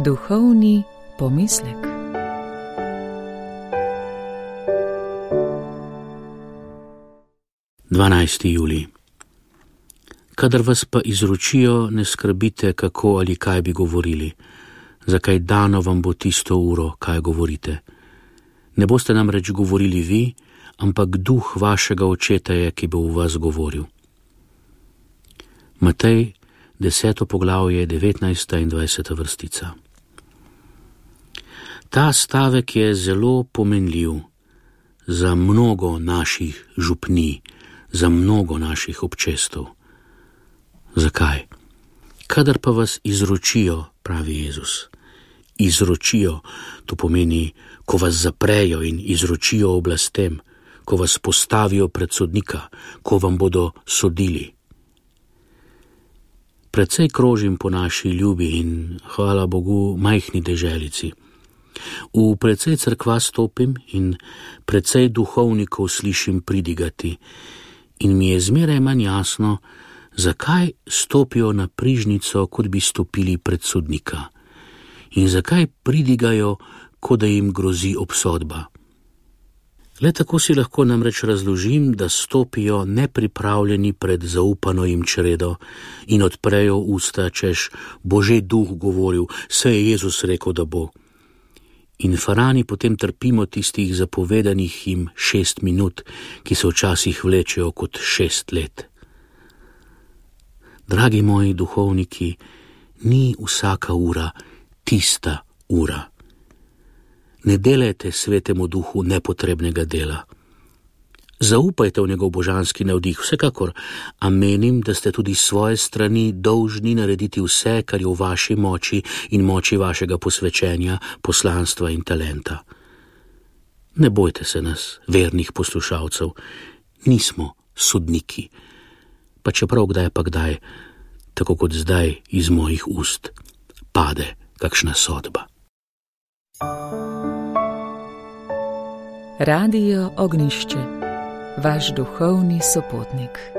Duhovni pomislek. Julij. Kadar vas pa izročijo, ne skrbite, kako ali kaj bi govorili, zakaj dano vam bo tisto uro, kaj govorite. Ne boste namreč govorili vi, ampak duh vašega očeta je, ki bo v vas govoril. Matej, 10. poglavje, 19. in 20. vrstica. Ta stavek je zelo pomenljiv za mnogo naših župnij, za mnogo naših občestev. Zakaj? Kadar pa vas izročijo, pravi Jezus, izročijo, to pomeni, ko vas zaprejo in izročijo oblastem, ko vas postavijo pred sodnika, ko vam bodo sodili. Precej krožim po naši ljubi in, hvala Bogu, majhni deželici. V precej cerkva stopim in precej duhovnikov slišim pridigati in mi je zmeraj manj jasno, zakaj stopijo na prižnico, kot bi stopili pred sodnika, in zakaj pridigajo, kot da jim grozi obsodba. Le tako si lahko namreč razložim, da stopijo nepripravljeni pred zaupano jim čredo in odprejo usta, češ, bo že duh govoril, saj je Jezus rekel, da bo. In farani potem trpimo tistih zapovedanih jim 6 minut, ki se včasih vlečejo kot 6 let. Dragi moji duhovniki, ni vsaka ura tista ura. Ne delajte svetemu duhu nepotrebnega dela. Zaupajte v njegov božanski navdih, vsekakor, a menim, da ste tudi s svoje strani dolžni narediti vse, kar je v vaši moči in moči vašega posvečenja, poslanstva in talenta. Ne bojte se nas, vernih poslušalcev, nismo sodniki, pa čeprav kdaj pa kdaj, tako kot zdaj iz mojih ust, pade kakšna sodba. Radio Ognjišče, vaš duhovni sopotnik.